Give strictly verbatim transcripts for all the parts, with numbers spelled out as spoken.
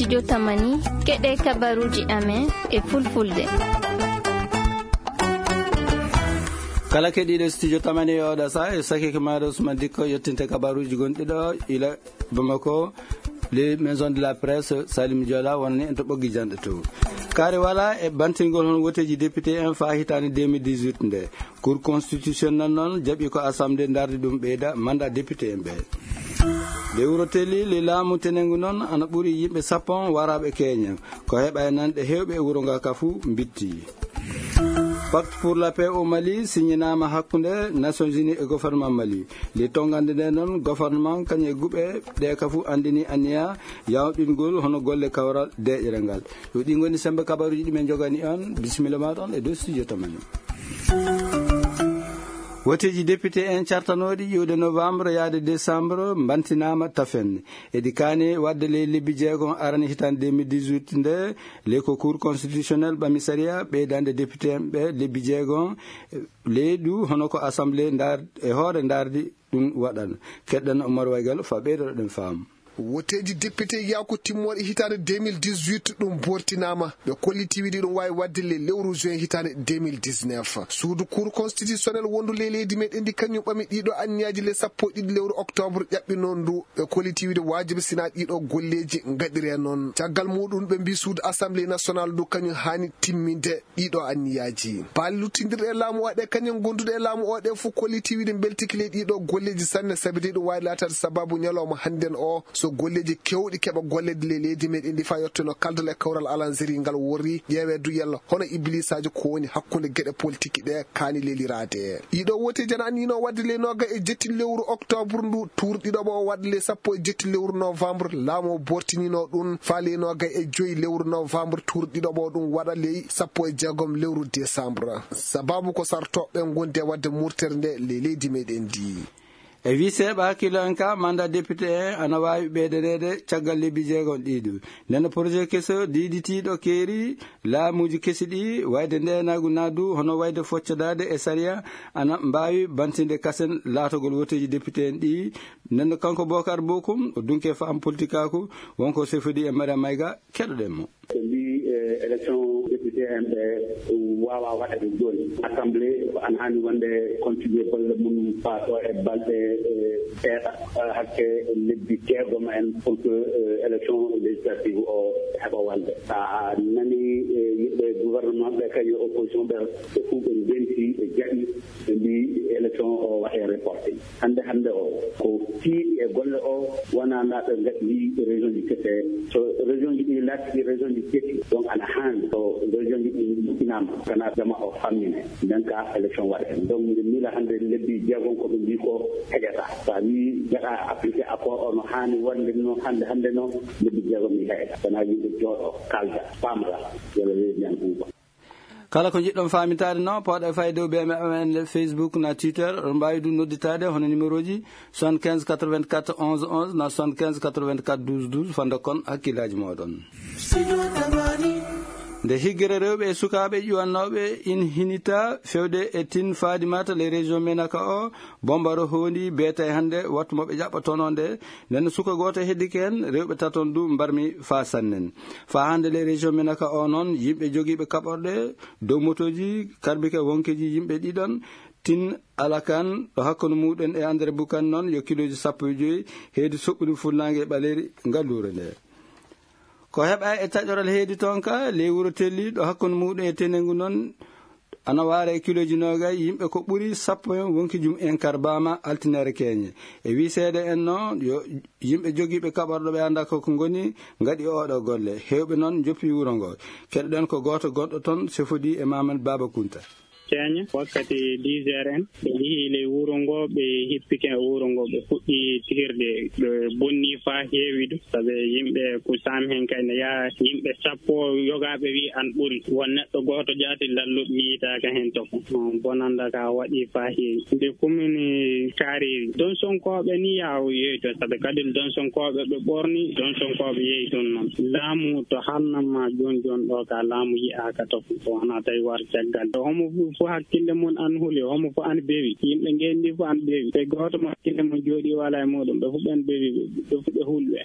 Jotamani, keɗe kabaruuji amen e fulfulde. Kala keɗiiɗo Studio Tamani e oɗo saha, e sakike maaɗo Ousmane Dikko, yettinte kabaruuji gonɗi ɗo ila Bamako, les maisons de la presse, Salim Diola, wonani en to ɓoggi janɗe to. Kaare wala e bantingol hon woteeji député en faa hitaande deux mille dix-huit nde. Cour constitutionnelle noon jaɓi ko assemblée ndardi ɗum ɓeyda mandat député en ɓe. Lewru teli, le laamu tenengu noon ana ɓuri yimɓe sappo waraaɓe keeña. Ko heɓa e nanɗe heewɓe e wuro nga ka fuu mbitti. Pacte pour la paix au Mali signinaama hakkunde Nations Unies e gouvernement Mali. Le tongande nde noon gouvernement kañum e guɓe ɗe ka fuu anndini anniya yawɗingol hono golle kawral deeƴere ngal. Yo ɗi ngoni sembe kabaruuji ɗi men jogani on. Bisimilla maaɗa on e dow studio Tamani. Woteeji député en cartanooɗi ƴiwde novembre yaade décembre mbantinaama tafen. Eɗi kaani waɗde ley lebbi jeegom arani hitaande deux mille dix-huit nde, ley ko Cour constitutionnelle ɓami sariya ɓeydande député en ɓe lebbi jeegom, ley ɗu hono ko assemblée ndar-, e hoore ndardi ɗum waɗan. Keɗɗen Oumar Waygal fa ɓeydoɗen faamu. Woteeji député yaaku timmooɗe hitaande deux mille dix-huit ɗum bortinaama. Ɓe kolliti wiide ɗum waawi waɗde le lewru juin hitaande deux mille dix-neuf. Suudu Cour constitutionnel wondu ley leydi meɗen ndi kañum ɓami ɗiɗo anniyaaji le sappo e ɗiɗi lewru octobre ƴaɓɓi noon ndu. Ɓe kolliti wiide waajibi sina ɗiɗo golleeji ngaɗire noon. Caggal muɗum ɓe mbi suudu Assemblée nationale ndu kañum haani timminde ɗiɗo anniyaaji. Paali luttindirɗe e laamu o ɗe kañum gonduɗe e laamu o ɗe fof kolliti wiide mbeltiki ley ɗiɗo golleeji sanne, sabi de ɗum waawi laataade sababu ñalawma hannden o, so golleeji keewɗi keɓa golleede ley leydi meɗen ndi faa yettono kaldal e kawral alanzeri ngal worri ƴeewee du yalla hono ibliisaaji ko woni hakkunde geɗe politiki ɗe kaani leliraade. Ɗiɗo woteeji ana anniyinoo waɗde ley nooga e jetti lewru octobre ndu, tuur ɗiɗo o waɗde ley sappo e jetti lewru novembre, laamu o bortinino ɗum faa ley nooga e joyi lewru novembre, tuur ɗiɗo o ɗum waɗa ley sappo e jeegom lewru décembre. Sababu ko sartooɓe ngonde waɗde murtere nde ley leydi meɗen ndi. E wii seeɓa hakkillo en ka, mandat député en ana waawi ɓeydaneede caggal lebbi jeegom ɗiɗo. Nden projet keso diiditiiɗo keeri laamuuji kesi ɗi, wayde ndeenaagu naadu, hono wayde foccadaade e sariya, ana mbaawi bantinde kasen laatogol woteeji député en ɗi. Nden kanko Bokar Bokum, o dunke faamu politikaaku, wonko sefodi e Mariam Mayga, keɗoɗen mo. Ɓe mbii, eh, élection député en ɓe waawaa waɗeede jooni. Assemblée ko ana haani wonde continuer golle mum faa ɗo e balɗe, eh, seeɗa, eh, hakke lebbi jeegom en pour que, eh, élection législative o heɓa wonde. So a nanii, eh, yimɓe gouvernement ɓe kañum e opposition ɓe, ɓe fof ɓe ndenti, ɓe jaɓi, ɓe mbii élection o waɗee reporté. Hannde, hannde o, ko tiiɗi e golle o, wonaa ndaa ɓe ngaɗi région ji kese. So région ji ɗi laati région ji kesi, donc ana haani so région ji ɗi moƴƴinaama, kana jama o fammine, nden ka élection waɗee. Donc, mbiɗo miila hannde lebbi jeegom ko ɓe mbii ko heƴata. So a wii gaɗa appliqué accord o no haani wonde no hannde, hannde no, lebbi jeegom ɗi heƴata. Wonaa yimɓe jooɗo, kalda, paamra, walla leydi men ɓuuɓa. Kala ko njiɗɗon faamintaade noon, pooɗa e fayde o B M F M N le Facebook na Twitter, oɗon mbaawi ɗum nodditaade hono numéro ji soixante-quinze quatre-vingt-quatre onze onze na soixante-quinze quatre-vingt-quatre douze douze, fannde kon hakkillaaji mooɗon. Nde higgere rewɓe e sukaaɓe ƴuwannooɓe in hinita fewde e tin Fadimata le région Menaka o, Bombaro hoondi beetay hannde wattu mo ɓe ƴaɓɓotonoo nde, nden suka gooto heddike heen, rewɓe taton du mbarmi faa sannen. Faa hannde le région Menaka o noon, yimɓe jogiiɓe kaɓorɗe dow motooji, karbike wonkeeji yimɓe ɗiɗon, tin Alakan, ɗo hakkunde muɗum e André Bukan noon, yo kilooji sappo e joyi, heedi soɓɓude fuɗnaange e ɓaleeri ngalluure nde. Ko heɓa e taƴoral heedi toon ka, ley wuro Telli, ɗo hakkunde muɗum e Tenengu noon, ana waara e kilooji noogay, yimɓe ko ɓuri sappo en wonki jum en karbama altinaare keñe. E wii seeɗa en noon, yo yimɓe jogiiɓe kaɓorɗo ɓe annda ko ko ngoni, ngaɗi oɗo golle. Heewɓe noon njoppi wuro ngo. Keɗoɗen ko gooto gonɗo toon, sefodi e Mamadou Baba Kunta. Keñe, wakkati dix heures en, ɓe njehii ley wuro ngo, ɓe hippike e wuro ngo, ɓe fuɗɗi tihirde, ɓe bonni faa heewi du. Sabe yimɓe ko saami heen kay ne yaha yimɓe sappo yogaaɓe wi an ɓuri. Won neɗɗo gooto jaati lalluɗo yiytaaka heen to. Bonanda ka waɗi faa heewi. Nde kumini kaari, Donsonkooɓe ni yaw yehi toon. Sabe kadi Donsonkooɓe ɓe ɓorni, Donsonkooɓe yehi toon noon. Laamu to hannama jooni jooni ɗo ka laamu yi'aaka to. Ko wona tawi war caggal. Homo fu, fu hakkille mum an huli, homo fu an bewi. Yimɓe ngenndi fu an bewi. Te gooto mo hakkille mum jooɗi wala e muɗum. Ɓe fu ɓen bewi, ɓe fu ɓe hulɓe.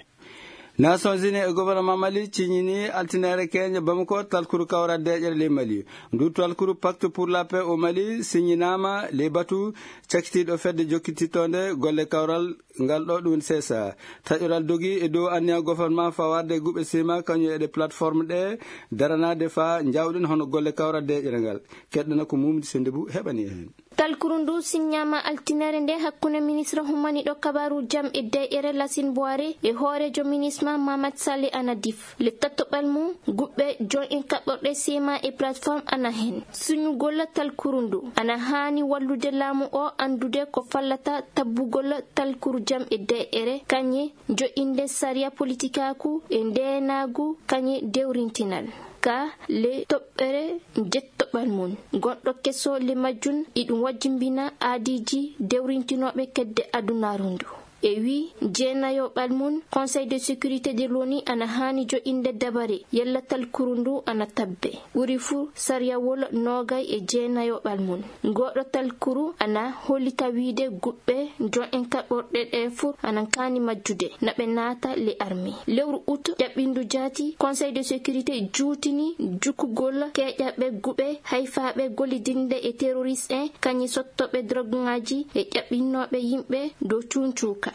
Nations Unies e gouvernement Mali ciññini altinaare keeñe Bamako talkuru kawral deeƴere ley Mali. Ndu talkuru Pacte pour la paix au Mali siññinaama ley batu cakitiiɗo fedde jokkitittoonde golle kawral ngal ɗo, ɗum woni C S A. Taƴoral dogi e dow anniya gouvernement fawaade e guɓe sima kañum e ɗe plateforme ɗe daranaade faa njawɗen hono golle kawral deeƴere ngal. Keɗɗana ko Mumdi Sendibu heɓani en. Talkuru ndu siññaama altinere nde hakkunde ministre humaniɗo kabaru jam e deeƴere Lasin Boire e hooreejo ministre ma Mamad Sali Anadif. Le tattoɓal mum guɓɓe jon en kaɓɓorɗe sima e plateforme ana hen. Suñugol talkuru ndu ana haani wallude laamu o anndude ko fallata tabbugol talkuru jam e deeƴere kañe joƴinde sariya politikaaku e ndeenaagu kañe dewrintinal. Ka le toɓɓere jettoɓal mum gonɗo keso le majjun iɗum wajjimbina aadiiji dewrintinooɓe kedde adunaaru ndu. E wi jeenayoɓal mum Conseil de sécurité de l'ONU ana haani joƴinde dabare yalla talkuru ndu ana tabbe. Ɓuri fu sariyawol noogay e jeenayoɓal mum. Ngoɗo talkuru ana hollita wiide guɓɓe jon en kaɓorɗe ɗe fu ana kaani majjude na ɓe naata le armée. Lewru ut ƴaɓɓindu jaati Conseil de sécurité juutini jukkugol keeƴaɓe guɓe hayfaaɓe gollidinde e terroriste en kañi sottoɓe droguŋaaji e ƴaɓɓinnooɓe yimɓe dow cuuncuuka.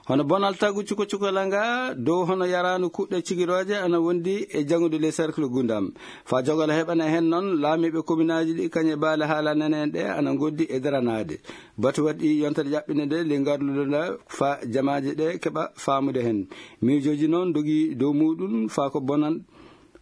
Hono bonal tagu cuko cuko langa dow hono yaraanu kuɗɗe cigirooje ana wondi e jaŋude le cercle Gundam. Fa jogala heɓana hen noon laamiiɓe kominaaji ɗi kañe baale haala nene en ɗe ana ngoddi e daranaade. Batu waɗi yontere ƴaɓɓinde nde le ngarlude nda fa jamaaji ɗe keɓa faamude hen. Miijooji noon dogi dow muɗum fa ko bonan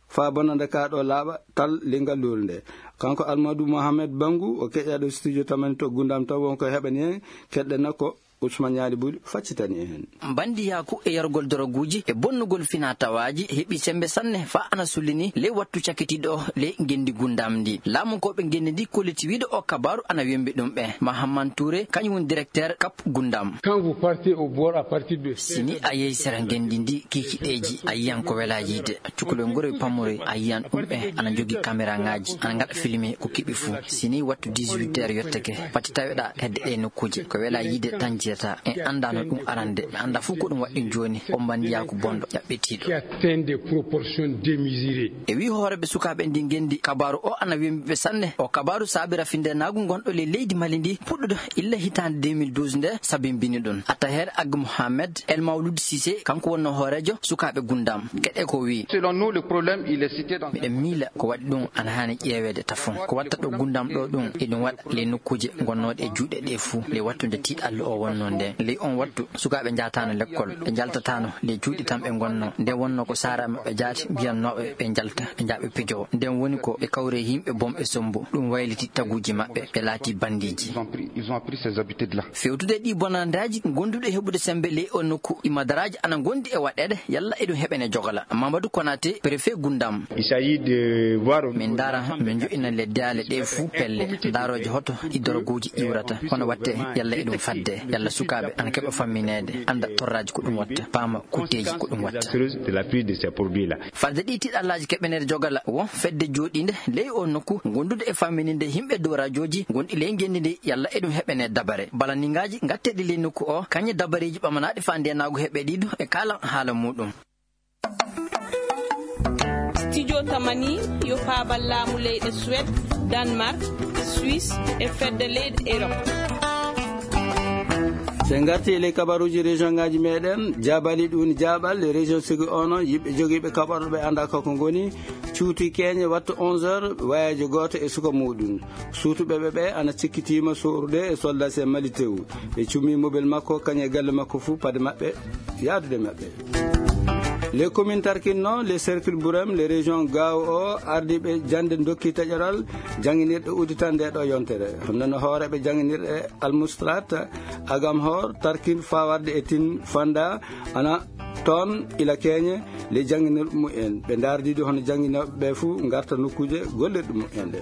fa bonande ka ɗo laaɓa tal le ngalluure nde. Kanko Almadou Mohamed Bangu o keƴaɗo studio tamani to Gundam taw wonko heɓani hen keɗɗena ko Ousmane Ñaali Buli faccitani en. Bandiyaaku e yargol doroguuji e bonnugol finaa tawaaji heɓi sembe sanne fa ana sullini ley wattu cakitiiɗo o ley ngenndi Gundam ndi. Laamunkooɓe ngenndi ndi kolliti wiide o kabaaru ana wembi ɗum ɓe. Mahamman Touré, kañum woni directeur Cap Gundam. Quand vous partez au bord à partir de Sini a yehi sera ngenndi ndi kiikiɗeeji a yiyan ko welaa yiide. Cukalel ngure pammuroy a yiyan ɗum ɓe ana njogii kameraŋaaji ana ngaɗa filme ko keɓi fuu. Sini wattu dix-huit heures yottake pati taweɗaa hedde ɗe nokkuuje ko welaa yiide tan jiyata en anndaano ɗum arande ɓe annda fof ko ɗum waɗɗi jooni. On mbanndiyaa ko bonɗo ƴaɓɓitiiɗo. Qui atteint des proportions démesurées. E wi hooreɓe sukaaɓe ndi ngenndi kabaaru o ana wembiɓe sanne. O kabaaru saabi rafindeenaagu ngonɗo ley leydi Mali ndi puɗɗuɗo illa hitaande deux mille douze nde sabimbini ɗum. Attaher Ag Mohamed El Mawlud Sise kanko wonno hooreejo sukaaɓe Gundam. Keɗe ko wi. Selon nous, le problème, il est cité dans Miɗen miila ko waɗi ɗum ana haani ƴeeweede tafon. Ko watta ɗo Gundam ɗo ɗum eɗum waɗa ley nokkuuje gonnooɗe e juuɗe ɗe fuu ley wattu nde tiiɗallu o wonnoo nde. Ley on wattu sukaaɓe njaataano lekkol, ɓe njaltataano ley juuɗe tan ɓe ngonnoo. Nden wonnoo ko saara maɓɓe jaati mbiyannooɓe ɓe njalta ɓe njaaɓe pijowo. Nden woni ko ɓe kawri e yimɓe bom e sombo. Ɗum wayliti taguuji maɓɓe, ɓe laati bandiiji. Ils ont pris, ils ont pris ces habitudes-là. Fewtude e ɗii bonandaaji gonduɗe heɓude sembe ley o nokku, imadaraaji ana ngondi e waɗeede, yalla eɗum heɓene jogala. Mamadou Konaté, préfet Gundam. Il s'agit de voir Min ndaara, min joɗɗina leddaale ɗe fuu pelle, ndaarooje hoto ɗi doroguuji iwrata, hono watte yalla eɗum fadde, yalla sukaaɓe ana keɓa fammineede, annda torraaji ko ɗum watta, paama kutteeji ko ɗum watta. De la prise de ces produits-là. Fadde ɗi tiɗallaaji keɓeneede jogala, won fedde jooɗiinde ley o nokku, gondude e fammininde yimɓe dow rajooji gonɗi ley ngenndi ndi, yalla eɗum heɓene dabare. Balaningaaji ngatteeɗi ley nokku o, kañe dabareeji ɓamanaaɗi faa ndeenaagu heɓe ɗiɗo e kaalan haala muuɗum. Studio Tamani yo faabal laamu leyɗe Suède, Danemark, Suisse e fedde leyɗe Europe. So en ngarti e ley kabaruuji région ngaaji meɗen, Jaabali ɗum woni Jaabal, e région Ségou o noon, yimɓe jogiiɓe kaɓorɗe ɓe anndaa ko ko ngoni, cuuti keeñe wattu onze heures, wayeejo gooto e suka muuɗum. Suutuɓe ɓe ɓe ana cikkitiima sorude e soldat sen Mali tew. Ɓe cummi mobel makko, kañum e galle makko fuu, paɗe maɓɓe yaadude maɓɓe. Les communes Tarkin noon, les cercles Bourem, les régions Gao o, ardiiɓe jannde ndokki taƴoral jannginirɗe udditande ɗo yontere. Hono no hooreeɓe jannginirɗe Almustrat, Agamhor, Tarkin, Fawarde e Tin Fanda, ana toon ila keeñe ley jannginirɗe mumen. Ɓe ndaardiiɗo hono jannginooɓe ɓe fuu ngarta nokkuuje gollirɗe mumen ɗe.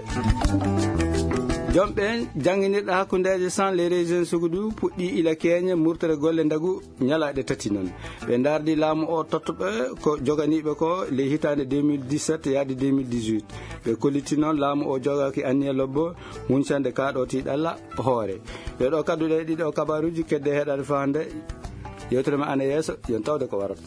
Joom ɓe jannginirɗe hakkundeeje san les régions Sogoudou puɗɗi ila keeñe murtere golle ndagu ñalaaɗe tati noon. Ɓe ndaardi laamu o tottuɓe ko joganiiɓe ko ley hitaande deux mille dix-sept yaade deux mille dix-huit. Ɓe kolliti noon laamu o jogaaki anniya lobbo huncande kaaɗo tiiɗalla hoore. Ɗe ɗo kadduɗe ɗiɗo kabaruuji kedde heɗaade faa hannde. Yewtere ma ana yeeso, yon tawde ko warata.